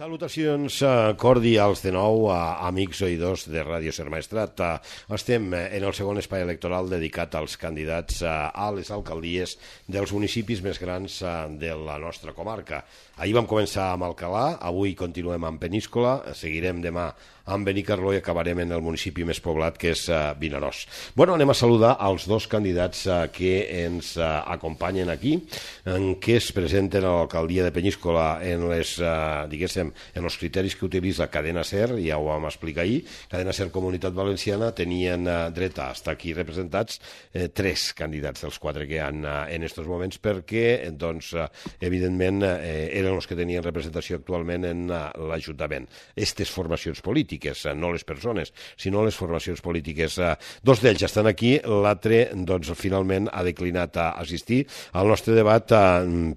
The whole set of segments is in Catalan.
Salutacions cordials de nou a amics oïdors de Ràdio Ser Maestrat. Estem en el segon espai electoral dedicat als candidats a les alcaldies dels municipis més grans de la nostra comarca. Ahir vam començar amb Alcalà, avui continuem amb Peníscola, seguirem demà amb Benicarló i acabarem en el municipi més poblat, que és Vinaròs. Bueno, anem a saludar els dos candidats que ens acompanyen aquí, que es presenten a l'alcaldia de Peníscola en les, diguéssim, en els criteris que utilitza Cadena Ser, ja ho vam explicar ahir. Cadena Ser Comunitat Valenciana tenien dret a estar aquí representats tres candidats dels quatre que hi ha en aquests moments, perquè, doncs, evidentment, eren els que tenien representació actualment en l'Ajuntament. Aquestes formacions polítiques, no les persones, sinó les formacions polítiques. Dos d'ells estan aquí, l'altre, doncs, finalment ha declinat a assistir al nostre debat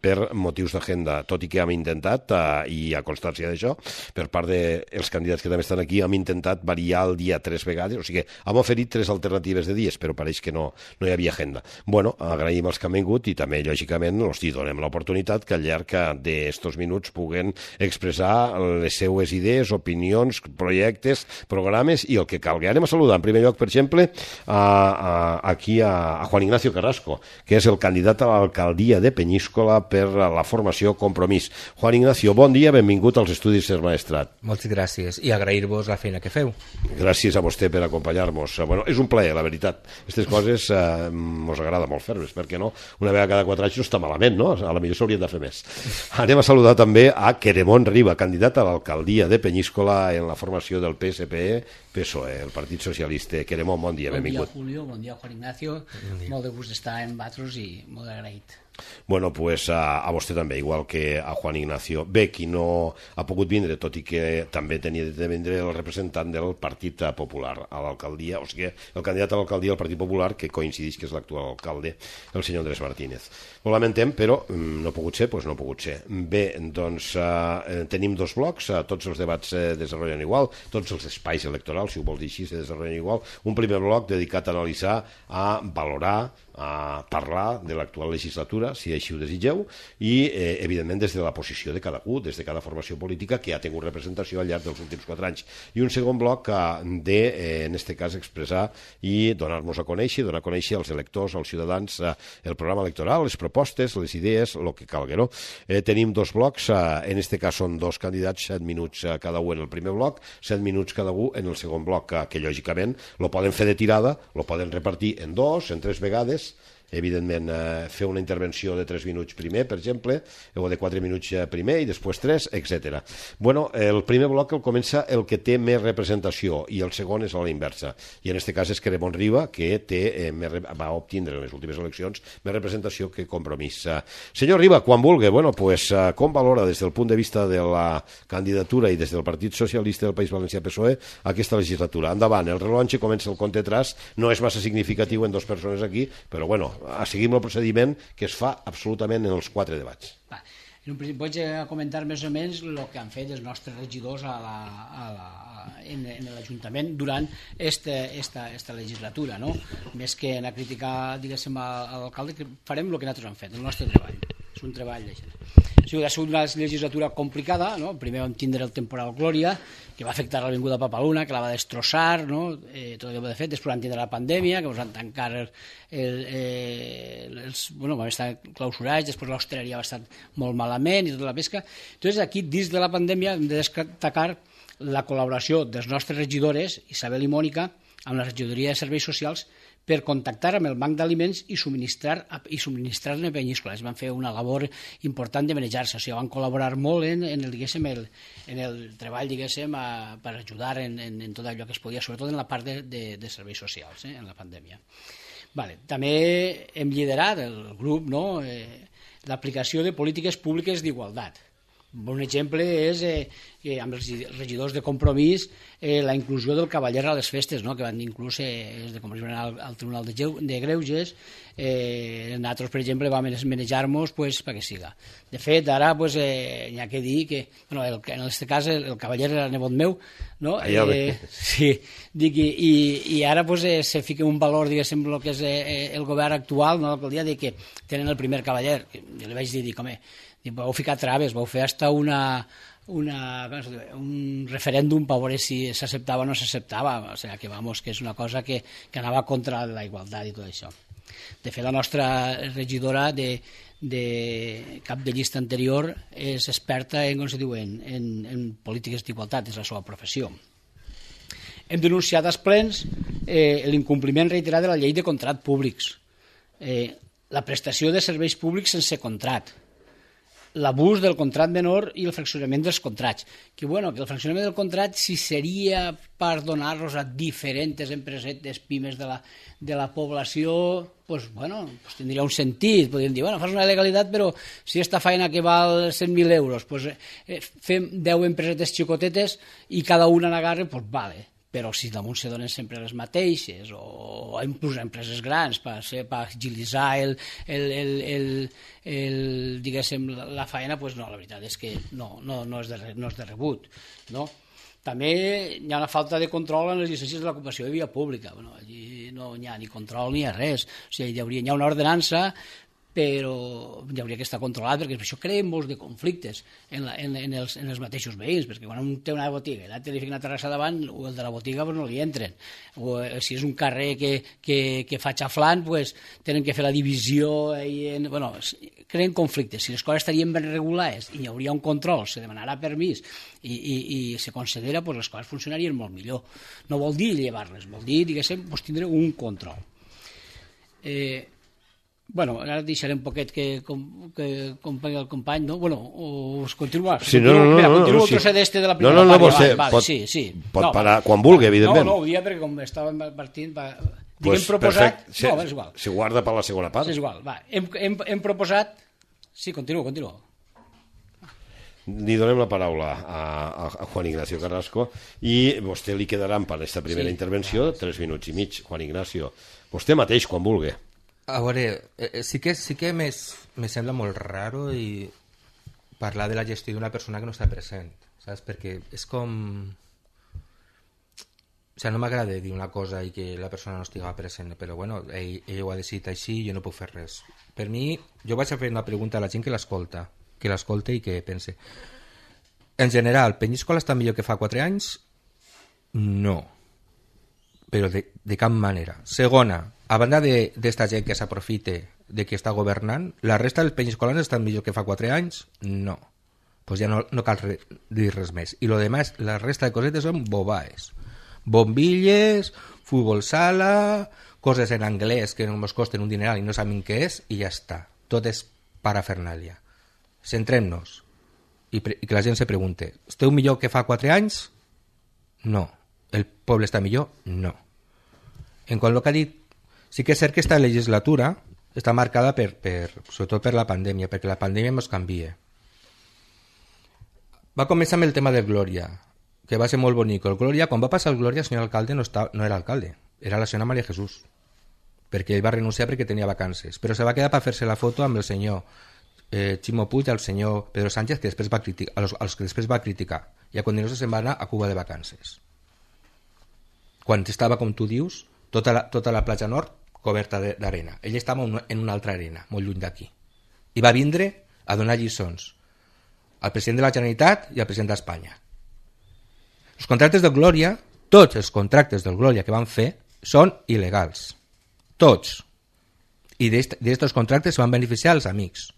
per motius d'agenda, tot i que hem intentat, i a constància d'això, per part dels candidats que també estan aquí, hem intentat variar el dia 3 vegades, o sigui, hem oferit 3 alternatives de dies, però pareix que no hi havia agenda. Bueno, agraïm els que han vingut i també, lògicament, els donem l'oportunitat que al llarg d'estos minuts puguen expressar les seues idees, opinions, projectes, programes i el que calgui. Anem a saludar, en primer lloc, per exemple, aquí a Juan Ignacio Carrasco, que és el candidat a l'alcaldia de Peníscola per la formació Compromís. Juan Ignacio, bon dia, benvingut als estudis Ser Maestrat. Moltes gràcies i agrair-vos la feina que feu. Gràcies a vostè per acompanyar-nos. Bueno, és un plaer, la veritat. Aquestes coses mos agrada molt fer-les, perquè no? Una vegada cada 4 anys no està malament, no? A la millor s'haurien de fer més. Anem a saludar també a Queremont Riba, candidat a l'alcaldia de Peníscola en la formació del PSPE-PSOE, el Partit Socialista. Queremont, bon dia, benvingut. Bon dia, Julio, bon dia, Juan Ignacio. Molt de gust d'estar amb vosaltres i molt agraït. Bueno, pues a vostè també, igual que a Juan Ignacio. Bé, qui no ha pogut vindre, tot i que també tenia de vindre el representant del Partit Popular a l'alcaldia, o sigui, el candidat a l'alcaldia del Partit Popular, que coincideix que és l'actual alcalde, el senyor Andrés Martínez. Ho lamentem, però no ha pogut ser, doncs no ha pogut ser. Bé, doncs tenim dos blocs, tots els debats se desenvolupen igual, tots els espais electorals, si ho vols dir així, se desenvolupen igual. Un primer bloc dedicat a analitzar, a valorar, a parlar de l'actual legislatura, si així ho desitgeu, i, evidentment, des de la posició de cadascú, des de cada formació política que ha tingut representació al llarg dels últims 4 anys. I un segon bloc de, en aquest cas, expressar i donar-nos a conèixer, donar a conèixer als electors, als ciutadans, el programa electoral, les propostes, les idees, el que calgui, no? Tenim dos blocs, en aquest cas són dos candidats, 7 minuts cada un en el primer bloc, 7 minuts cada un en el segon bloc, que lògicament lo poden fer de tirada, lo poden repartir en 2, en 3 vegades, evidentment fer una intervenció de 3 minuts primer, per exemple, o de 4 minuts primer i després 3, etc. Bueno, el primer bloc el comença el que té més representació i el segon és a la inversa. I en aquest cas és Queremont Riba, que va obtindre en les últimes eleccions més representació que Compromís. Senyor Riba, quan vulgui, bueno, pues, com valora des del punt de vista de la candidatura i des del Partit Socialista del País Valencià PSOE aquesta legislatura? Endavant, el rellotge comença el compte atràs, no és massa significatiu en 2 persones aquí, però bueno, seguim el procediment que es fa absolutament en els 4 debats. En un principi vaig a comentar més o menys el que han fet els nostres regidors en l'Ajuntament durant esta legislatura, no? Més que anar a criticar, diguéssim, a l'alcalde, que farem el que nosaltres hem fet, el nostre treball. És un treball d'això. Ha sigut una legislatura complicada, no? Primer vam tindre el temporal Glòria, que va afectar l'avinguda Papaluna, que la va destrossar, no? Tot allò de fet. Després vam tindre la pandèmia, que ens van tancar vam estar clausurats, després l'hostaleria va estar molt malament i tota la pesca. Entonces, aquí, dins de la pandèmia, hem de destacar la col·laboració dels nostres regidores, Isabel i Mònica, amb la regidoria de Serveis Socials, per contactar amb el banc d'aliments i subministrar-ne a Peníscola. Es van fer una labor important de manejar-se, o sigui, van col·laborar molt en el treball, diguéssim, per ajudar en tot allò que es podia, sobretot en la part de serveis socials, en la pandèmia. També hem liderat el grup, l'aplicació de polítiques públiques d'igualtat. Un exemple és amb els regidors de Compromís la inclusió del cavaller a les festes, que van inclús de Compromís al Tribunal de Greuges. Nosaltres, per exemple, vam manejar-nos perquè siga. De fet, ara hi ha que dir que, en aquest cas, el cavaller era nebot meu, i ara se fica un valor, diguéssim, el que és el govern actual, l'alcaldia, que tenen el primer cavaller. Jo li vaig dir, home, vau ficar traves, vau fer hasta una un referèndum per veure si s'acceptava o no s'acceptava, o sigui que, vamos, que és una cosa que anava contra la igualtat i tot això. De fet, la nostra regidora de cap de llista anterior és experta en, com se diu, en polítiques d'igualtat, és la seva professió. Hem denunciat als plens l'incompliment reiterat de la llei de contractes públics, la prestació de serveis públics sense contracte, l'abús del contracte menor i el fraccionament dels contractes. Que el fraccionament del contracte, si seria per donar-los a diferents empresetes, pimes de la població, pues tindria un sentit. Podríem dir, fas una legalitat, però si esta feina que val 100.000 euros, pues, fem 10 empresetes xicotetes i cada una n'agarra, pues vale. Però si damunt se donen sempre les mateixes, o inclús empreses grans per agilitzar diguéssim, la feina, doncs no, la veritat és que no és de rebut. No? També hi ha una falta de control en les llicències de l'ocupació de via pública. Allí no hi ha ni control ni res. O sigui, hi ha una ordenança, però hi hauria que estar controlat, perquè això crea molts de conflictes en els mateixos veïns, perquè quan un té una botiga i l'altre li fica una terrassa davant, el de la botiga no li entren, o si és un carrer que fa xaflant, tenen que fer la divisió, creen conflictes. Si les coses estarien ben regulades i hi hauria un control, se demanarà permís i se considera, les coses funcionarien molt millor. No vol dir llevar-les, vol dir, diguéssim, tindre un control. Ara deixaré un poquet que compagui el company, no? O us continua? Sí, continuo el trosset este de la primera part. Sí. Pot parar quan vulgui, evidentment. No, ho dia perquè com estàvem partint... Diguem proposat... No, és igual. Si guarda per la segona part. És igual, va. Hem proposat... Sí, continua. Li donem la paraula a Juan Ignacio Carrasco i vostè li quedaran per aquesta primera intervenció 3 minuts i mig. Juan Ignacio, vostè mateix, quan vulgui. A veure, sí que me sembla molt raro i parlar de la gestió d'una persona que no està present, saps? Perquè és com... O sigui, no m'agrada dir una cosa i que la persona no estigui present, però ell ho ha decidit així i jo no puc fer res. Per mi, jo vaig a fer una pregunta a la gent que l'escolta i que pense. En general, Penyíscola està millor que fa 4 anys? No. Però de cap manera. Segona, a banda d'esta gent que s'aprofite de que està governant, la resta dels penyiscolans estan millor que fa 4 anys? No. Pues ja no cal dir res més. I lo demás, la resta de cosetes són bobaes. Bombilles, futbol sala, coses en anglès que no ens costen un dineral i no sabem què és, i ja està. Tot és parafernàlia. Centrem-nos. I que la gent se pregunte, esteu millor que fa 4 anys? No. El poble està millor? No. En quant al que ha dit, sí que és cert que aquesta legislatura està marcada sobretot per la pandèmia, perquè la pandèmia ens canvia. Va començar amb el tema del Glòria, que va ser molt bonic. El Glòria, quan va passar el Glòria, el senyor alcalde no era alcalde, era la senyora Maria Jesús, perquè ell va renunciar perquè tenia vacances, però se va quedar per fer-se la foto amb el senyor Ximo Puig i el senyor Pedro Sánchez, que després va criticar, els que després va criticar, i a continuació se'n va anar a Cuba de vacances. Quan estava, com tu dius, tota la platja nord coberta d'arena. Ell estava en una altra arena, molt lluny d'aquí. I va vindre a donar lliçons al president de la Generalitat i al president d'Espanya. Els contractes del Glòria, tots els contractes del Glòria que van fer, són il·legals. Tots. I d'aquests contractes van beneficiar els amics.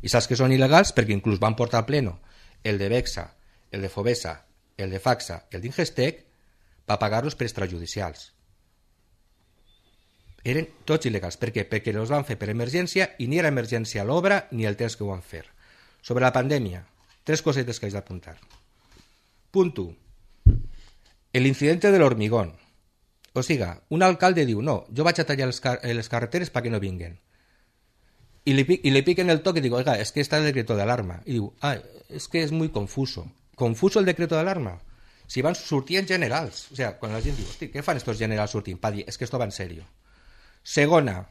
I saps que són il·legals perquè inclús van portar al pleno el de Bexa, el de Fovesa, el de Faxa i el d'Ingestec per pagar-los per extrajudicials. Eren tots il·legals. Per què? Perquè els van fer per emergència i ni era emergència l'obra ni el temps que ho van fer. Sobre la pandèmia, 3 cosetes que haig d'apuntar. Punt 1. El incidente del hormigón. O sigui, un alcalde diu, no, jo vaig a tallar les carreteres perquè no vinguen. I li piquen el toque y digo, oiga, es que está el decreto de alarma. Y digo, es que es muy confuso. ¿Confuso el decreto de alarma? Si van sortint generals. O sea, quan la gent diu, hosti, què fan estos generals sortint? Pa dir, es que esto va en serio. Segona,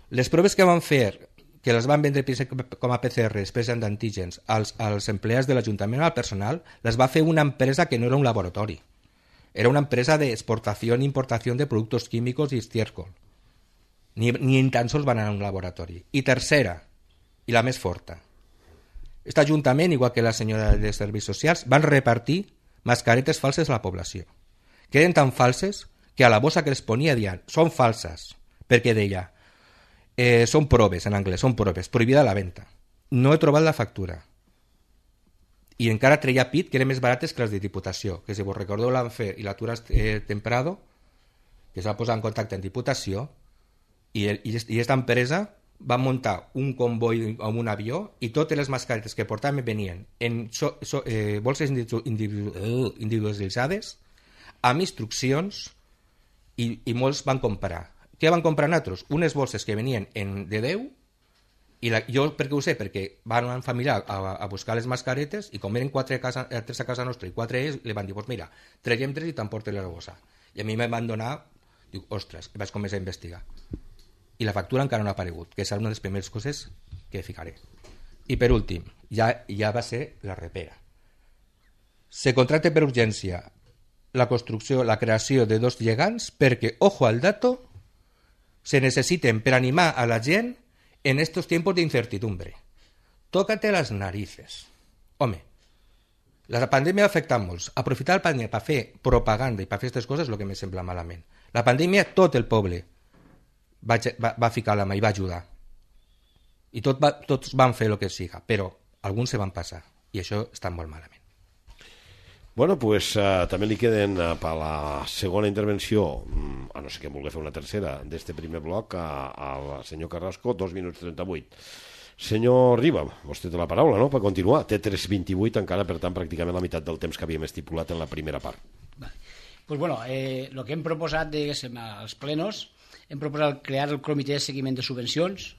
les proves que van fer, que les van vendre com a PCR, després d'antígens, als empleats de l'Ajuntament, al personal, les va fer una empresa que no era un laboratori. Era una empresa de exportación e importación de productos químicos y estiércol. Ni tan sols van anar a un laboratori. I tercera, i la més forta, Este ajuntament, igual que la senyora de Serveis Socials, van repartir mascaretes falses a la població, que eren tan falses que a la bossa que les ponia dian són falses, perquè deia són proves, en anglès, són proves, prohibida la venda. No he trobat la factura. I encara treia pit que eren més barates que les de Diputació, que si vos recordeu l'han fet i l'Atura Temprado, que es va posar en contacte amb Diputació, i aquesta empresa va muntar un comboi amb un avió i totes les mascaretes que portaven venien en bolses individualitzades amb instruccions i molts van comprar. Què van comprar nosaltres? Unes bolses que venien de 10 i jo per què ho sé? Perquè van un familiar a buscar les mascaretes i com eren 3 a casa nostra i 4 ells, li van dir, pues mira, traiem 3 i t'emportes la bossa. I a mi me van donar, dic, ostres, i vaig començar a investigar. I la factura encara no ha aparegut, que és una de les primeres coses que ficaré. I per últim, ja va ser la repera. Se contracta per urgència la construcció, la creació de 2 llegants perquè, ojo al dato, se necessiten per animar a la gent en estos tiempos de incertidumbre. Tócate las narices. Home, la pandèmia ha afectat molts. Aprofitar la pandèmia per fer propaganda i per fer aquestes coses és el que me sembla malament. La pandèmia, tot el poble va ficar la mà i va ajudar. I tots van fer el que siga, però alguns se van passar. I això està molt malament. Bueno, pues també li queden per la segona intervenció, a no ser que vulgui fer una tercera, d'este primer bloc al senyor Carrasco, 2 minuts 38. Senyor Riba, vostè té la paraula, no?, per continuar. Té 3:28 encara, per tant, pràcticament la meitat del temps que havíem estipulat en la primera part. Vale. Pues bueno, el que hem proposat, diguéssim, als plenos, hem proposat crear el comitè de seguiment de subvencions,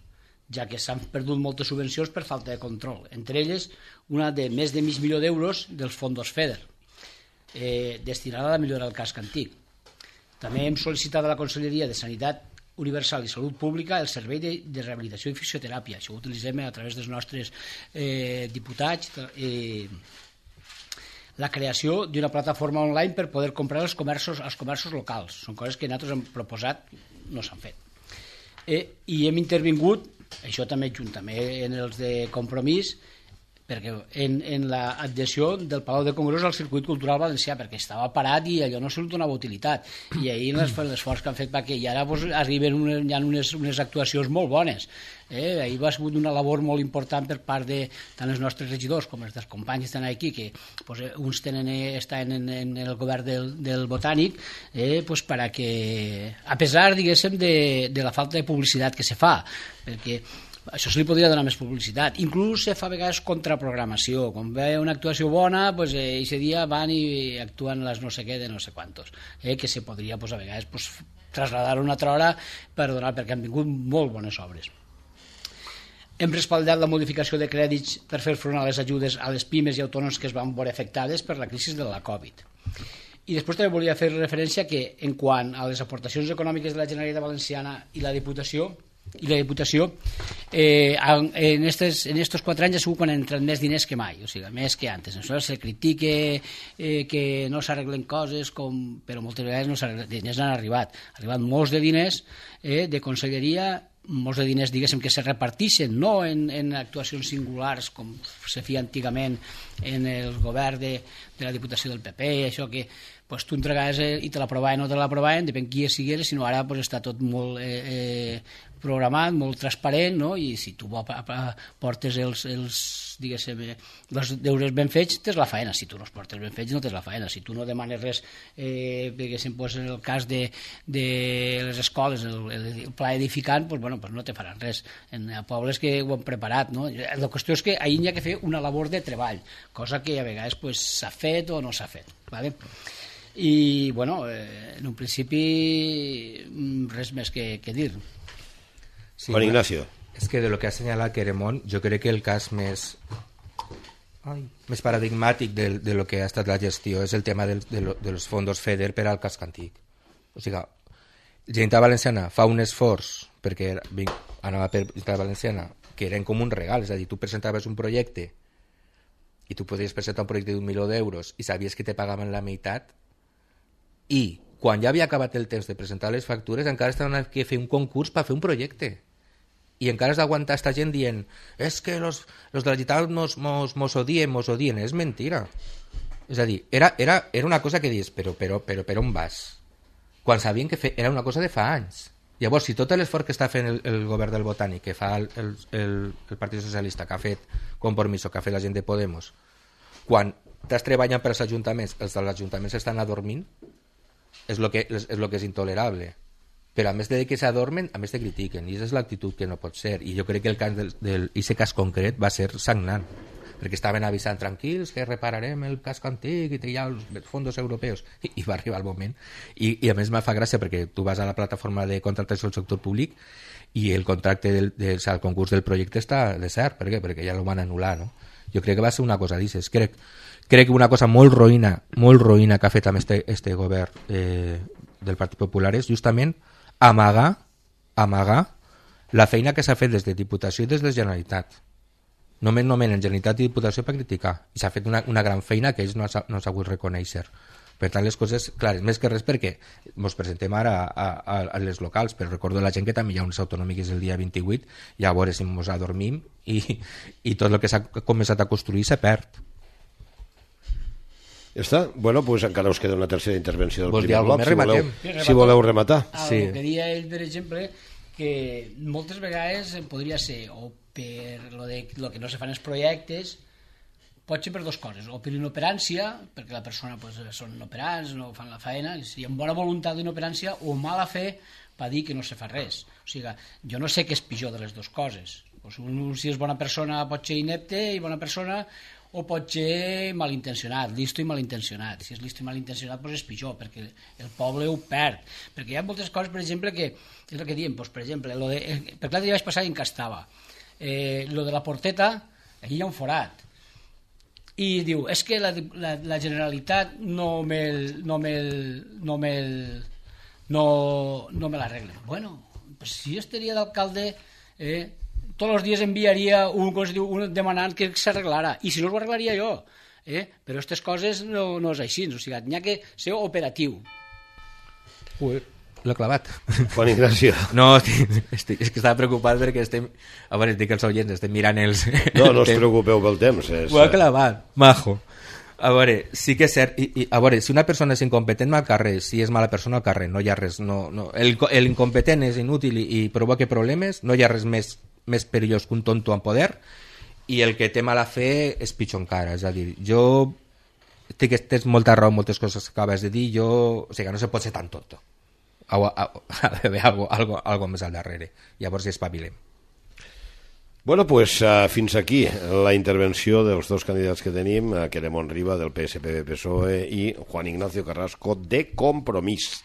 ja que s'han perdut moltes subvencions per falta de control. Entre elles, una de més de mig milió d'euros dels fondos FEDER, destinada a millorar el casc antic. També hem sol·licitat a la Conselleria de Sanitat Universal i Salut Pública el servei de rehabilitació i fisioteràpia. Això ho utilitzem a través dels nostres diputats. La creació d'una plataforma online per poder comprar als comerços locals. Són coses que nosaltres hem proposat, no s'han fet. I hem intervingut, això també juntament en els de Compromís, perquè en l'adhesió del Palau de Congressos al circuit cultural valencià, perquè estava parat i allò no se li donava utilitat, i ahir l'esforç que han fet perquè i ara arriben hi ha unes actuacions molt bones. Ahir va ser una labor molt important per part de tant els nostres regidors com els dels companys que estan aquí, que uns estan en el govern del Botànic, perquè a pesar, diguéssim, de la falta de publicitat que se fa, perquè això se li podria donar més publicitat. Inclús se fa a vegades contraprogramació. Quan ve una actuació bona, aquest dia van i actuen les no sé què de no sé quantos. Que se podria, a vegades, trasladar una altra hora per donar, perquè han vingut molt bones obres. Hem respaldat la modificació de crèdits per fer front a les ajudes a les pimes i autònoms que es van veure afectades per la crisi de la Covid. I després també volia fer referència que, en quant a les aportacions econòmiques de la Generalitat Valenciana i la Diputació, en estos 4 anys ha sigut quan han entrat més diners que mai, o sigui, més que antes. Aleshores se critica que no s'arreglen coses, però moltes vegades no s'arreglen, diners han arribat molts de diners de conselleria, molts de diners, diguéssim, que se repartixen, no en actuacions singulars com se feia antigament en el govern de la Diputació del PP, això que tu entregaves i te l'aprovaven o no te l'aprovaven, depèn qui sigués, sinó ara està tot molt programat, molt transparent, no? I si tu portes els deures ben fets, tens la faena. Si tu no els portes ben fets, no tens la faena. Si tu no demanes res, diguéssim, en el cas de les escoles, el pla edificant, no te faran res. En pobles que ho han preparat, no? La qüestió és que ahir hi ha que fer una labor de treball, cosa que a vegades s'ha fet o no s'ha fet, ¿vale? I, en un principi, res més que dir. Sí, Juan Ignacio. És que de lo que ha assenyalat Queremont, jo crec que el cas més paradigmàtic de lo que ha estat la gestió és el tema dels fondos FEDER per al casc antic. O sigui, la Generalitat Valenciana fa un esforç perquè anava per la Generalitat Valenciana, que eren com un regal, és a dir, tu presentaves un projecte i tu podies presentar un projecte d'1 milió d'euros i sabies que te pagaven la meitat, i quan ja havia acabat el temps de presentar les factures encara estaven que fer un concurs per fer un projecte i encara has d'aguantar esta gent dient que los de la Generalitat mos odien, és mentira. És a dir, era una cosa que dius, però on vas? Quan sabien que era una cosa de fa anys. Llavors, si tot l'esforç que està fent el govern del Botànic, que fa el Partit Socialista, que ha fet Compromís, que ha fet la gent de Podemos, quan estàs treballant per als ajuntaments, els dels ajuntaments estan adormint, és el que és intolerable. Però a més de que s'adormen, a més te critiquen, i aquesta és l'actitud que no pot ser. I jo crec que el cas d'aquest cas concret va ser sagnant, perquè estaven avisant tranquils que repararem el casc antic i hi ha els fons europeus, i va arribar el moment. I a més me fa gràcia perquè tu vas a la plataforma de contractació del sector públic i el contracte el concurs del projecte està desert. Per què? Perquè ja el van anul·lar, no? Jo crec que va ser una cosa d'aixes. Crec que una cosa molt roïna que ha fet amb este govern del Partit Popular és justament amagar la feina que s'ha fet des de Diputació i des de Generalitat. Només nomenen Generalitat i Diputació per criticar, i s'ha fet una gran feina que ells no s'ha volgut reconèixer. Per tant, les coses, clar, més que res perquè ens presentem ara a les locals, però recordo la gent que també hi ha unes autonòmiques el dia 28, i a veure si ens adormim i tot el que s'ha començat a construir se perd. Ja està? Bueno, doncs encara us queda una tercera intervenció del Vols primer bloc, si voleu rematar. Sí. El que deia ell, per exemple, que moltes vegades podria ser o per lo que no se fan els projectes, pot ser per dues coses, o per inoperància, perquè la persona són inoperants, no fan la feina, i amb bona voluntat d'inoperància, o mala fe per dir que no se fa res. O sigui, jo no sé què és pitjor de les dues coses. Si és bona persona pot ser inepte i bona persona, o pot ser malintencionat, listo i malintencionat. Si és listo i malintencionat, doncs és pitjor, perquè el poble ho perd. Perquè hi ha moltes coses, per exemple, que és el que diem, doncs, per exemple, per l'altre dia vaig passar i encastava. Lo de la porteta, aquí hi ha un forat. I diu, és que la Generalitat no me l'arregla. Bueno, pues si jo estaria d'alcalde, tots els dies enviaria un demanant que s'arreglara, i si no ho arreglaria jo, però aquestes coses no és així, o sigui, n'hi ha que ser operatiu. L'he clavat. Juan Ignacio. No, és que estava preocupat perquè estem, a veure, dic als oients, estem mirant els... No us preocupeu pel temps. Ho ha clavat, majo. A veure, sí que és cert, i a veure, si una persona és incompetent al carrer, si és mala persona al carrer, no hi ha res, no. L'incompetent és inútil i provoca problemes, no hi ha res més perillós que un tonto en poder, i el que té mala fe és pitjor encara. És a dir, jo tens molta raó en moltes coses que acabes de dir, o sigui, no se pot ser tan tonto. Ha d'haver algo més al darrere, llavors espavilem. Bueno, pues fins aquí la intervenció dels dos candidats que tenim, Queremont Riba del PSPB-PSOE i Juan Ignacio Carrasco de Compromís.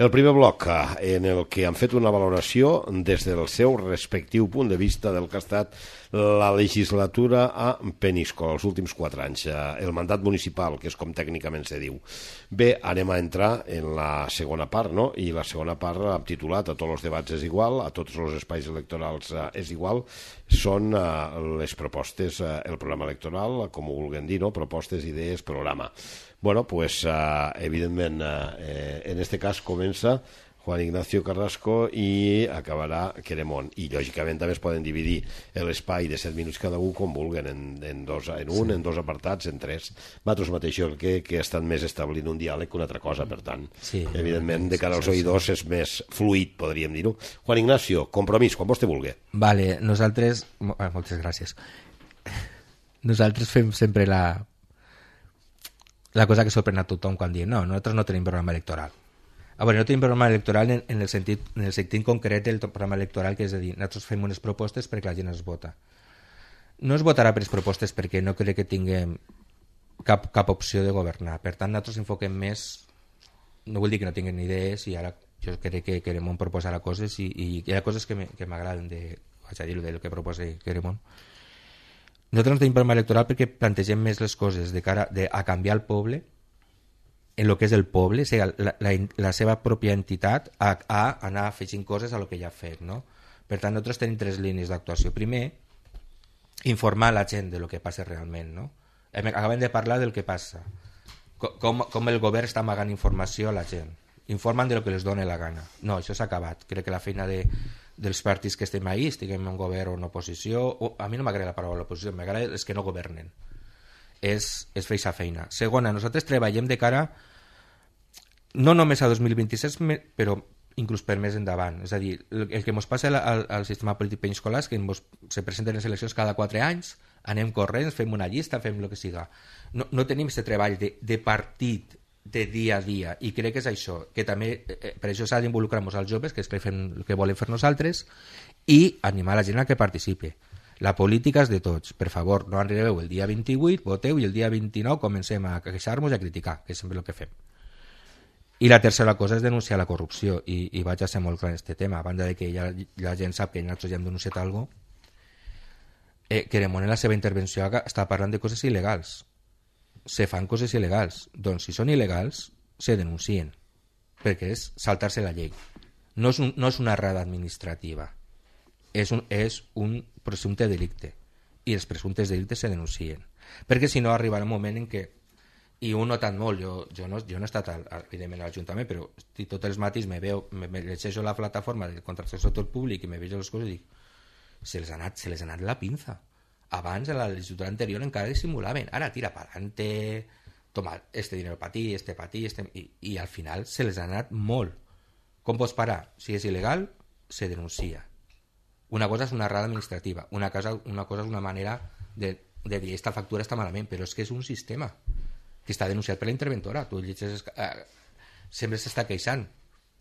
El primer bloc en el que han fet una valoració des del seu respectiu punt de vista del que ha estat la legislatura a Peníscola els últims 4 anys, el mandat municipal, que és com tècnicament se diu. Bé, anem a entrar en la segona part, no? I la segona part hem titulat a tots els debats és igual, a tots els espais electorals és igual, són les propostes, el programa electoral, com ho vulguem dir, no? Propostes, idees, programa. Bueno, pues evidentment en este cas comença Juan Ignacio Carrasco i acabarà Queremont, i lògicament també es poden dividir l'espai de 7 minuts cada un com vulguen, en dos apartats, en 3. Vosaltres mateixos que estan més establint un diàleg que una altra cosa, per tant, sí, evidentment de cara als oïdors és més fluid, podríem dir-ho. Juan Ignacio, Compromís, quan vostè vulgui. Vale, nosaltres, moltes gràcies, nosaltres fem sempre la cosa que sorprèn a tothom quan diem no, nosaltres no tenim programa electoral. A veure, no tenim programa electoral en el sentit concret del programa electoral, que és a dir, nosaltres fem unes propostes perquè la gent es vota. No es votarà per les propostes perquè no crec que tinguem cap opció de governar. Per tant, nosaltres enfoquem més, no vull dir que no tinguem idees, i ara jo crec que Queremont proposarà coses i hi ha coses que m'agraden vaig a dir-ho del que proposa Queremont. Nosaltres no tenim programa electoral perquè plantegem més les coses de cara a canviar el poble en el que és el poble, o sigui, la seva pròpia entitat, a anar afegint coses a lo que ja ha fet, no? Per tant, nosaltres tenim 3 línies d'actuació. Primer, informar la gent de lo que passa realment, no? Acabem de parlar del que passa, com el govern està amagant informació a la gent. Informen de lo que les dona la gana. No, això s'ha acabat. Crec que la feina de dels partits que estem ahí, estiguem en govern o en oposició, a mi no m'agrada la paraula oposició, m'agrada els que no governen. És fer aquesta feina. Segona, nosaltres treballem de cara no només a 2026, però inclús per més endavant. És a dir, el que ens passa al sistema polític peninsular és que se presenten les eleccions cada 4 anys, anem corrents, fem una llista, fem el que siga. No tenim aquest treball de partit de dia a dia, i crec que és això, que també per això s'ha d'involucrar-nos als joves, que és el que volem fer nosaltres, i animar la gent a que participe. La política és de tots, per favor, no arribeu el dia 28, voteu, i el dia 29 comencem a queixar-nos i a criticar, que és sempre el que fem. I la tercera cosa és denunciar la corrupció, i vaig a ser molt clar en aquest tema, a banda de que ja la gent sap que nosaltres ja hem denunciat alguna cosa. Queremont en la seva intervenció està parlant de coses il·legals. Se fan coses il·legals. Doncs si són il·legals, se denuncien, perquè és saltar-se la llei. No és una errada administrativa, és un presumpte delicte, i els presumptes delictes se denuncien, perquè si no arribarà un moment en què, i ho he notat molt, jo no he estat evidentment a l'Ajuntament, però tots els matins me llegeixo la plataforma del contracte del sector públic i me veig les coses i dic, se les ha anat la pinza. Abans, en la legislatura anterior, encara dissimulaven. Ara tira para adelante, toma este dinero para ti, i al final se les ha anat molt. Com pots parar? Si és il·legal, se denuncia. Una cosa és una errada administrativa, una cosa és una manera de dir esta factura està malament, però és que és un sistema que està denunciat per la interventora. Tu llegeixes, sempre s'està queixant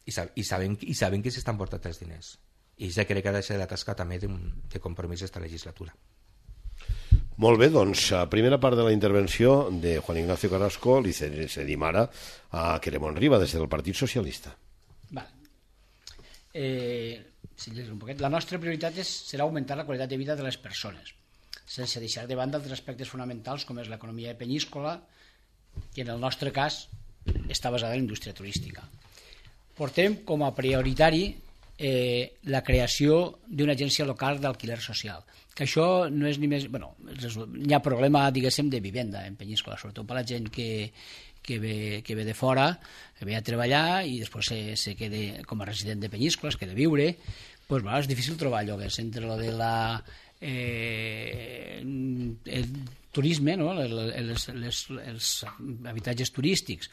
i saben que s'estan portant els diners, i ja crec que ha de ser la tasca també de compromís d'esta legislatura. Molt bé, doncs, primera part de la intervenció de Juan Ignacio Carrasco li cedim ara a Queremont Riba des del Partit Socialista. La nostra prioritat serà augmentar la qualitat de vida de les persones, sense deixar de banda els aspectes fonamentals com és l'economia peníscola, que en el nostre cas està basada en la indústria turística. Portem com a prioritari la creació d'una agència local d'alquiler social, que això no és ni més... Hi ha problema, diguéssim, de vivenda en Peníscola, sobretot per la gent que ve de fora, que ve a treballar i després se queda com a resident de Peníscola, es queda a viure. És difícil trobar lloguers entre lo de el turisme, no? Els habitatges turístics,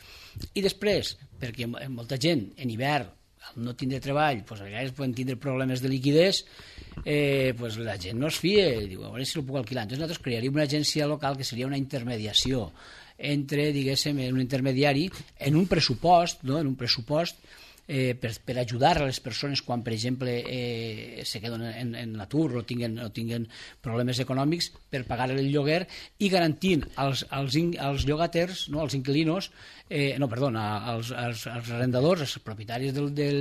i després perquè molta gent en hivern al no tindre treball, a vegades poden tindre problemes de liquidez, la gent no es fia i diu, a veure si el puc alquilar. Entonces nosaltres crearíem una agència local que seria una intermediació entre, diguéssim, un intermediari en un pressupost, no? En un pressupost per ajudar a les persones quan, per exemple, se queden en l'atur o tinguen problemes econòmics, per pagar el lloguer i garantint als llogaters, no, als inquilinos, als arrendadors, als propietaris de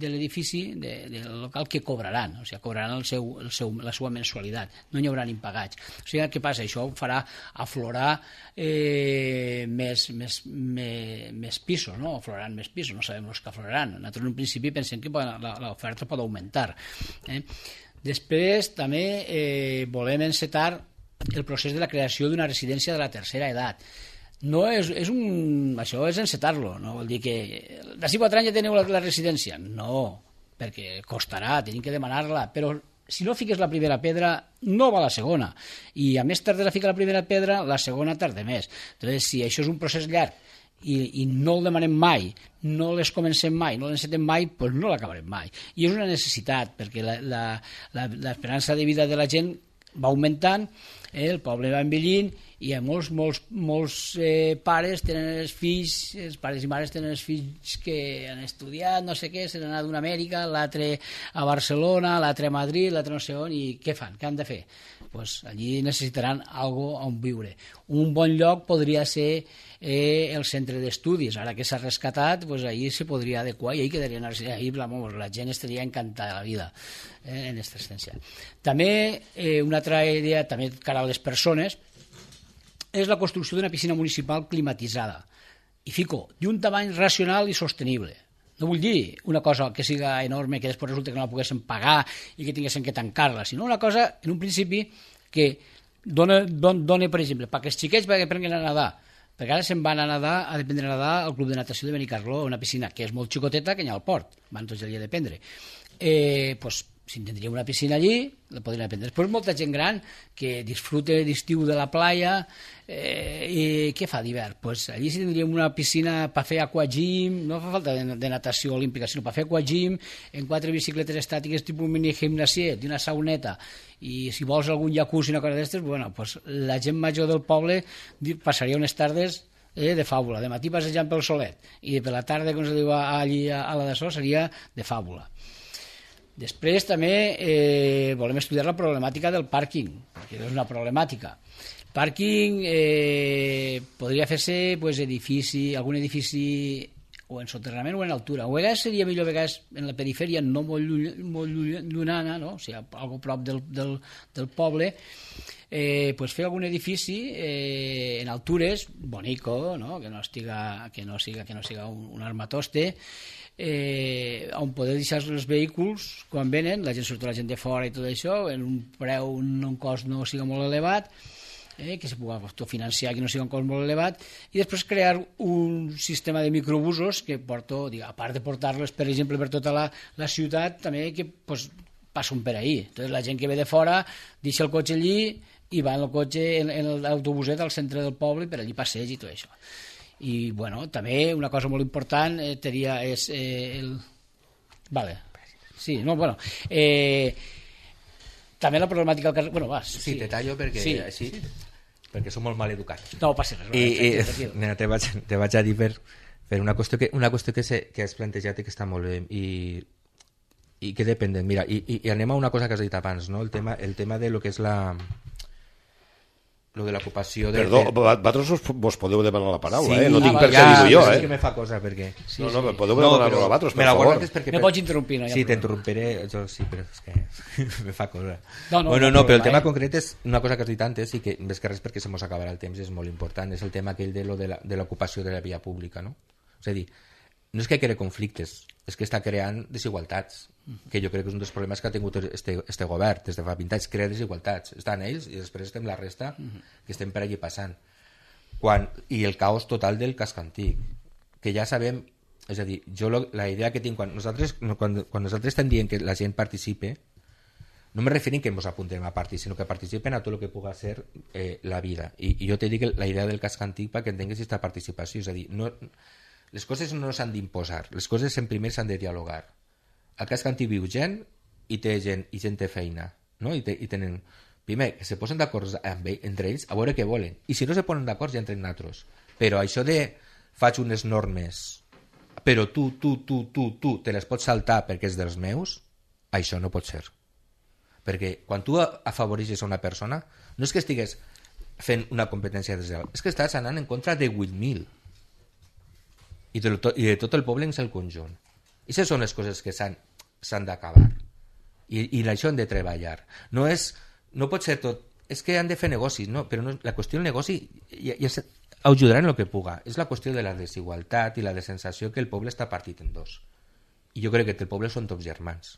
l'edifici, del local, que cobraran, o sigui, cobraran la seva mensualitat, no hi haurà impagats. O sigui, què passa? Això farà aflorar més pisos, no? Afloraran més pisos, no sabem els que afloraran. Nosaltres en un principi pensem que l'oferta pot augmentar. Després també volem encetar el procés de la creació d'una residència de la tercera edat. Això és encetar-lo, no vol dir que d'ací 4 anys ja teniu la residència. No, perquè costarà, tenim que demanar-la, però si no fiques la primera pedra no va la segona, i a més tarda la fica la primera pedra, la segona tarda més. Entonces, si això és un procés llarg i no el demanem mai, no les comencem mai, no l'encetem mai, doncs no l'acabarem mai. I és una necessitat, perquè l'esperança de vida de la gent va augmentant, el poble va envellint, i molts pares tenen els fills, els pares i mares tenen els fills que han estudiat, no sé què, se n'han anat d'una Amèrica, l'altre a Barcelona, l'altre a Madrid, l'altre no sé on, i què fan? Què han de fer? Pues allí necessitaran alguna cosa on viure. Un bon lloc podria ser el centre d'estudis, ara que s'ha rescatat, pues ahí se podria adequar i ahí quedarien, ahí la gent estaria encantada de la vida en aquesta essència. També una altra idea, també cara a les persones, és la construcció d'una piscina municipal climatitzada, i fico, d'un tamany racional i sostenible. No vull dir una cosa que siga enorme, que després resulta que no la poguéssim pagar i que tinguéssim que tancar-la, sinó una cosa, en un principi, que dona, per exemple, perquè els xiquets aprenguin a nedar, perquè ara se'n van a nedar, a aprendre a nedar al Club de Natació de Benicarló, una piscina que és molt xicoteta, que n'hi ha al port, van tots el dia d'aprendre. si tindria una piscina allí, la podrien aprendre. Després molta gent gran que disfruta d'estiu de la playa, i què fa d'hivern? Pues allí si tindríem una piscina per fer aquagym, no fa falta de natació olímpica, sinó per fer aquagym, en 4 bicicletes estàtiques tipus mini gimnasiet i una sauneta, i si vols algun jacuzzi i una cosa d'aquestes, bueno, pues la gent major del poble passaria unes tardes de fàbula, de matí passejant pel solet i per la tarda, com se diu allí a la de so, seria de fàbula. Després també volem estudiar la problemàtica del pàrquing, perquè és una problemàtica. El pàrquing podria fer-se algun edifici o en soterrament o en altura. A vegades seria millor en la perifèria, no molt llunyana, no? O sigui, algo prop del poble, fer algun edifici en altures, bonico, no? que no siga un armatoste, on poder deixar els vehicles quan venen, la gent, sobretot la gent de fora i tot això, en un preu, un cost no siga molt elevat, que se pugui autofinanciar, que no sigui un cost molt elevat, i després crear un sistema de microbusos que porto, a part de portar-los, per exemple, per tota la ciutat, també que passen per ahí. Entonces, la gent que ve de fora deixa el cotxe allí i va en el cotxe, en l'autobuset al centre del poble, per allí passeig i tot això. I, bueno, també una cosa molt important és el... Vale. Sí, no, bueno... també la problemàtica del carrer... Bueno, vas. Sí, te tallo perquè sí. Així, perquè som molt mal educats. No passa res. I te vaig a dir per una qüestió que has plantejat i que està molt bé i que depèn. Mira, i anem a una cosa que has dit abans, no? El tema de lo que és lo de l'ocupació de... Perdó, vosaltres vos podeu demanar la paraula, sí, no tinc per què dir-ho jo, és que me fa cosa, perquè... podeu demanar-lo a vosaltres, per favor. Me pots interrompir, no? Sí, t'interrompiré, jo sí, però és que me fa cosa. No, però el tema concret és una cosa que has dit antes i que, més que res perquè se mos acabarà el temps, és molt important, és el tema aquell de l'ocupació de la via pública, no? És a dir, no és que crea conflictes, és que està creant desigualtats, que jo crec que és un dels problemes que ha tingut este govern des de fa 20 anys, crea desigualtats. Estan ells i després estem la resta que estem per allí passant. I el caos total del casc antic, que ja sabem, és a dir, jo la idea que tinc, quan nosaltres estem dient que la gent participe, no me referim que ens apuntem a partir, sinó que participen a tot el que pugui ser la vida. I jo te dic la idea del casc antic perquè entenguis aquesta participació, és a dir, les coses no s'han d'imposar, les coses en primer s'han de dialogar. Al casc antic viu gent i té gent i gent té feina, no? I tenen, primer, que se posen d'acord entre ells a veure què volen, i si no se posen d'acord ja entren altres, però això de faig unes normes però tu te les pots saltar perquè és dels meus, això no pot ser, perquè quan tu afavoreixes a una persona no és que estigues fent una competència desleal, és que estàs anant en contra de 8.000 i de tot el poble en el conjunt. I aquestes són les coses que s'han d'acabar i això han de treballar. No pot ser tot, és que han de fer negocis, no, però no, la qüestió del negoci ja ajudarà en el que puga, és la qüestió de la desigualtat i la de sensació que el poble està partit en dos, i jo crec que el poble són tots germans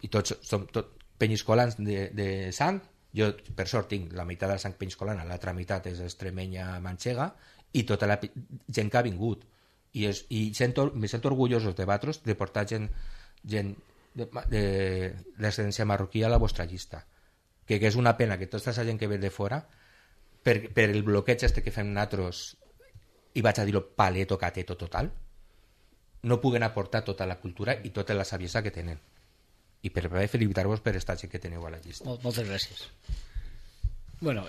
i tots som penyiscolans de sang. Jo per sort tinc la meitat de la sang penyiscolana, l'altra meitat és extremenya manxega, i tota la gent que ha vingut i me sento orgullosos de vosaltres de portar gent de l'ascendència marroquí a la vostra llista, que és una pena que tota aquesta gent que ve de fora per el bloqueig que fem nosaltres, i vaig a dir-ho paleto cateto total, no puguen aportar tota la cultura i tota la saviesa que tenen, i per felicitar-vos per esta gent que teniu a la llista. Moltes gràcies. Bueno,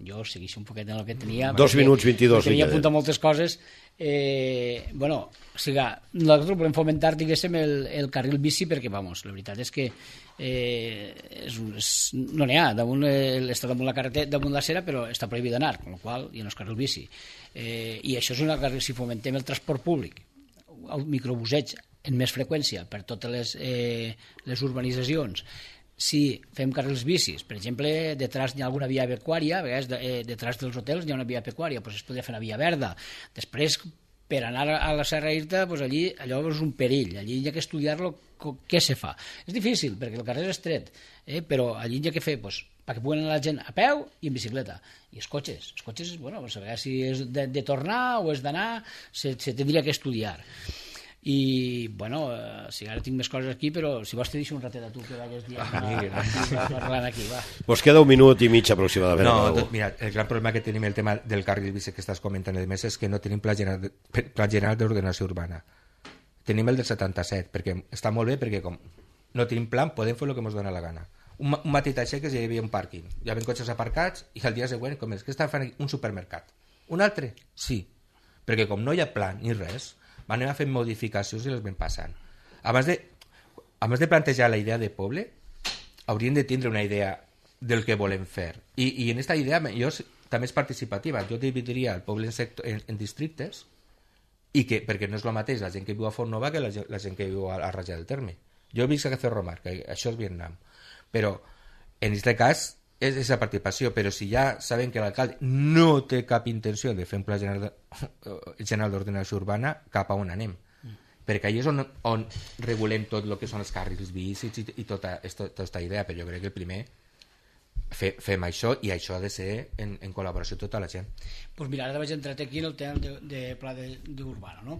jo segueixo un poquet en el que tenia. 2 minuts 22. Tenia apuntat moltes coses. Bueno, o sigui, nosaltres volem fomentar, diguéssim, el carril bici perquè, vamos, la veritat és que no n'hi ha, està damunt la carretera, damunt la cera, però està prohibit d'anar, amb la qual cosa ja no és carril bici. I això és una carril, si fomentem el transport públic, el microbuseig en més freqüència per totes les urbanitzacions, si fem carrils bicis, per exemple, detrás hi ha alguna via pecuària, a vegades detrás dels hotels hi ha una via pecuària, doncs es podria fer una via verda. Després, per anar a la Serra Irta, allí allò és un perill, allí hi ha que estudiar-lo què se fa. És difícil, perquè el carrer és estret, però allí hi ha que fer, perquè puguen anar la gent a peu i en bicicleta. I els cotxes, bueno, a vegades si és de tornar o és d'anar, se tindria que estudiar. i bueno, si ara tinc més coses aquí, però si vols te deixo un ratet a tu que vagis parlant aquí, va. Pues queda 1 minut i mig aproximadament. No, mira, el gran problema que tenim el tema del carril bici que estàs comentant a més és que no tenim pla general d'ordenació urbana. Tenim el del 77, perquè està molt bé, perquè com no tenim plan, podem fer el que ens dona la gana. Un matí t'aixeques i hi havia un pàrquing, hi havia cotxes aparcats i el dia següent, com és que estan fent un supermercat. Un altre? Sí, perquè com no hi ha plan ni res, anem a fer modificacions i les vam passant. Abans de plantejar la idea de poble, hauríem de tindre una idea del que volem fer. I en aquesta idea també és participativa. Jo dividiria el poble en districtes, perquè no és el mateix la gent que viu a Font Nova que la gent que viu a Raja del Terme. Jo visc a Cerro-Mar, que això és Vietnam. Però en aquest cas és la participació, però si ja sabem que l'alcalde no té cap intenció de fer un pla general d'ordenació urbana, cap a on anem? Perquè allà és on regulem tot el que són els carrils bicis i tota aquesta idea, però jo crec que el primer fem això, i això ha de ser en col·laboració tota la gent. Doncs mira, ara vaig entrar aquí en el tema de pla d'urbana, no?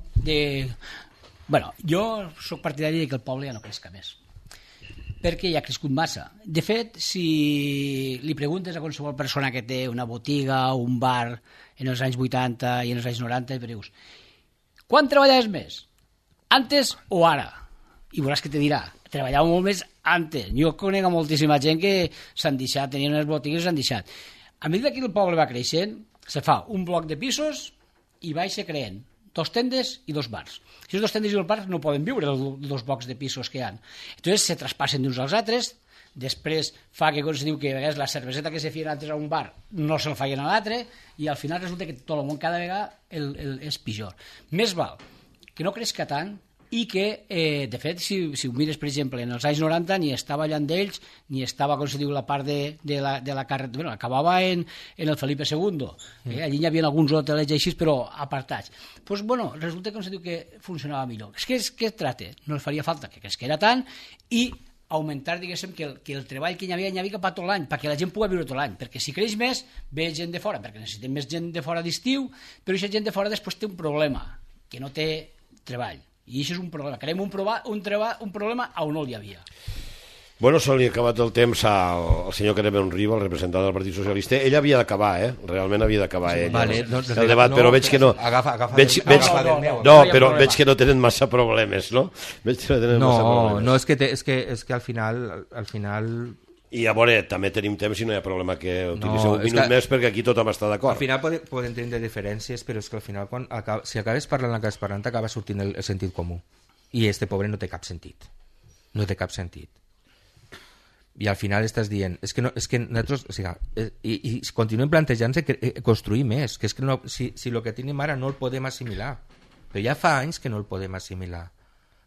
Bueno, jo soc partidari que el poble ja no creixca més, perquè ja ha crescut massa. De fet, si li preguntes a qualsevol persona que té una botiga o un bar en els anys 80 i en els anys 90, i dius, quan treballaves més? Antes o ara? I veuràs que te dirà, treballava molt més antes. Jo conec moltíssima gent que s'han deixat, tenien unes botigues i s'han deixat. A mesura que el poble va creixent, se fa un bloc de pisos i va ser creant 2 tendes i 2 bars. Si els 2 tendes i 2 bars no poden viure els 2 blocs de pisos que hi ha. Entonces se traspassen d'uns als altres, després fa que, com se diu, que a vegades la cerveseta que se feien antes a un bar no se'l feien a l'altre, i al final resulta que tot el món cada vegada és pitjor. Més val que no creixca tant, i que, de fet, si ho mires, per exemple, en els anys 90 ni estava Llandells, ni estava, com se diu, la part de la carretera, bueno, acabava en el Felipe II, allí hi havia alguns hotelets així, però apartats. Doncs, bueno, resulta, com se diu, que funcionava millor. És que es tracta, no els faria falta que cresquera tant, i augmentar, diguéssim, que el treball que hi havia cap a tot l'any, perquè la gent pugui viure tot l'any, perquè si creix més, ve gent de fora, perquè necessitem més gent de fora d'estiu, però aquesta gent de fora després té un problema, que no té treball. I això és un problema. Querem un problema on no hi havia. Bueno, se li ha acabat el temps al senyor Carmen Riba, el representant del Partit Socialista. Ell havia d'acabar, realment havia d'acabar ell. Vale, el debat, però veig que no... Però veig que no tenen massa problemes, no? No, és que al final... I a veure, també tenim temps i no hi ha problema que utilitzeu un minut més, perquè aquí tothom està d'acord. Al final poden tenir diferències, però és que al final si acabes parlant el que acabes parlant, acaba sortint el sentit comú, i este pobre no té cap sentit, i al final estàs dient és que nosaltres, o sigui, i continuem plantejant-se construir més, que és que no, si el que tenim ara no el podem assimilar, però ja fa anys que no el podem assimilar.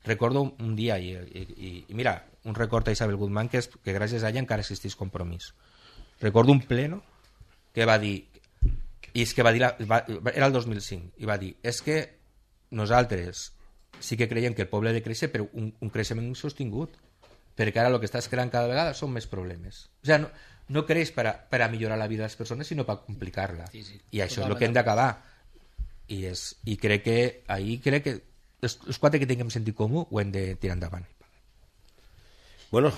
Recordo un dia, i mira, un record a Isabel Guzmán, que gràcies a ella encara existeix Compromís. Recordo un pleno que va dir, i és que va dir, era el 2005, i va dir, és que nosaltres sí que creiem que el poble ha de créixer, però un creixement sostingut, perquè ara el que estàs creant cada vegada són més problemes. O sigui, no creix per a millorar la vida de les persones, sinó per complicar-la. Sí, i això és el que hem d'acabar. I crec que els 4 que tinguem sentit comú ho hem de tirar endavant. Bueno,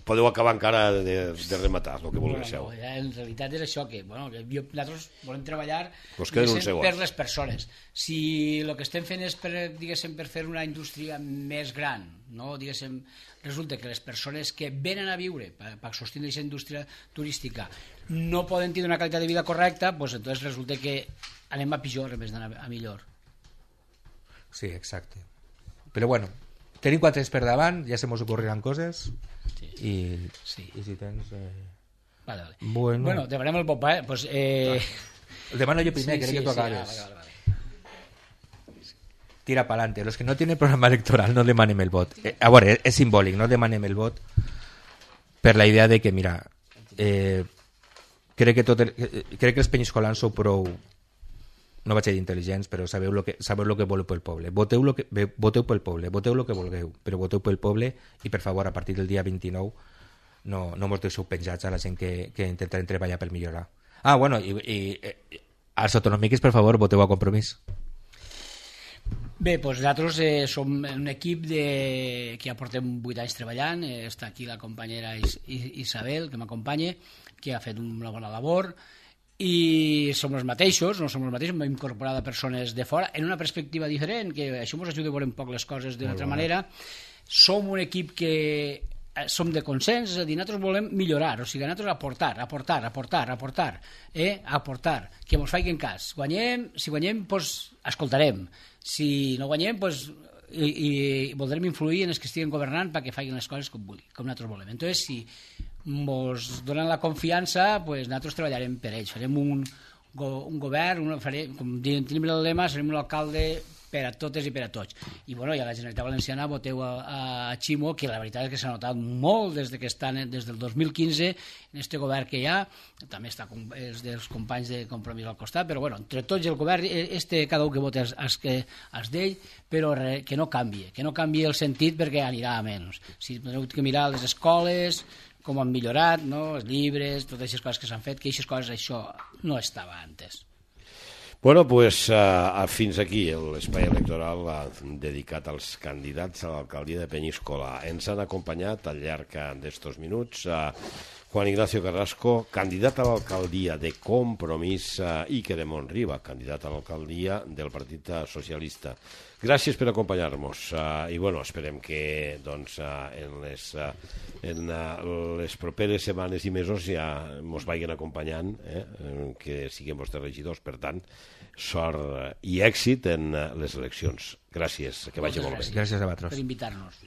podeu acabar encara de rematar el que vulgueu. En realitat és això, que nosaltres volem treballar per les persones. Si el que estem fent és per fer una indústria més gran, no? Resulta que les persones que venen a viure per sostindre aquesta indústria turística no poden tenir una qualitat de vida correcta, doncs entonces resulta que anem a pitjor en vez d'anar a millor. Sí, exacte. Però bueno, tenim 4 anys per davant, ja se mos ocorriran coses, i si tens... Vale. Bueno, demanem el Bopa, pues... El demano jo primer, crec que tu acabes. Vale. Tira pa'lante. Los que no tienen programa electoral no demanem el vot. A veure, és simbòlic, no demanem el vot per la idea de que, mira, crec que els penyiscolans sou prou... no vaig dir intel·ligents, però sabeu el que voleu pel poble. Voteu pel poble, voteu el que vulgueu, però voteu pel poble, i per favor, a partir del dia 29 no mos deixeu penjats a la gent que intentarem treballar per millorar. Bueno, i als autonòmics, per favor, voteu a Compromís. Bé, doncs nosaltres som un equip que ja portem 8 anys treballant, està aquí la companyera Isabel, que m'acompanya, que ha fet una bona labor, i som els mateixos, no som els mateixos, hem incorporat a persones de fora en una perspectiva diferent, que això ens ajuda a veure un poc les coses d'una altra manera. Som un equip que som de consens, és a dir, nosaltres volem millorar, o sigui, nosaltres aportar, que ens facin cas. Si guanyem, doncs escoltarem, si no guanyem, doncs i voldrem influir en els que estiguen governant perquè facin les coses com nosaltres volem. Entonces, si ens donen la confiança, pues nosaltres treballarem per ells, farem un govern, com tenim el lema, serem un alcalde per a totes i per a tots. I bueno, i a la Generalitat Valenciana voteu a Ximo, que la veritat és que s'ha notat molt des del 2015 en este govern que hi ha, també està els dels companys de Compromís al costat, però bueno, entre tots el govern, cada un que vota els d'ell, però que no canvi el sentit perquè anirà a menys. Si teniu que mirar les escoles, com han millorat, no? Els llibres, totes aquestes coses que s'han fet, que això no estava antes. Bueno, pues fins aquí l'espai electoral dedicat als candidats a l'alcaldia de Penyíscola. Ens han acompanyat al llarg d'estos minuts Juan Ignacio Carrasco, candidat a l'alcaldia de Compromís, i Quique de Monriba, candidat a l'alcaldia del Partit Socialista. Gràcies per acompanyar-nos i bueno, esperem que doncs, en les properes setmanes i mesos ja ens vagin acompanyant, que siguem vostres regidors. Per tant, sort i èxit en les eleccions. Gràcies, que vagi molt bé. Gràcies a vosaltres per invitar-nos.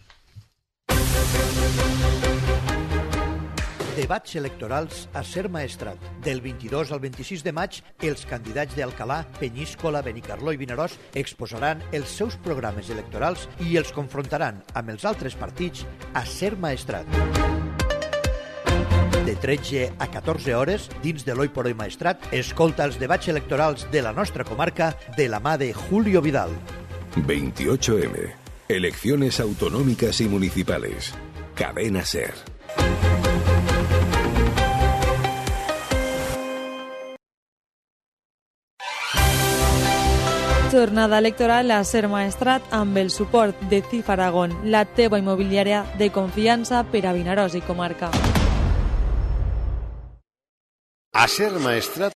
Debats electorals a Ser Maestrat. Del 22 al 26 de maig, els candidats d'Alcalà, Penyíscola, Benicarló i Vinaròs exposaran els seus programes electorals i els confrontaran amb els altres partits a Ser Maestrat. De 13 a 14 hores, dins de l'Oi por Hoy Maestrat, escolta els debats electorals de la nostra comarca de la mà de Julio Vidal. 28M. Elecciones autonómicas y municipales. Cadena Ser. Jornada electoral a Ser Maestrat amb el suport de CIF Aragón, la teva immobiliària de confiança per a Vinaròs i comarca. A Ser Maestrat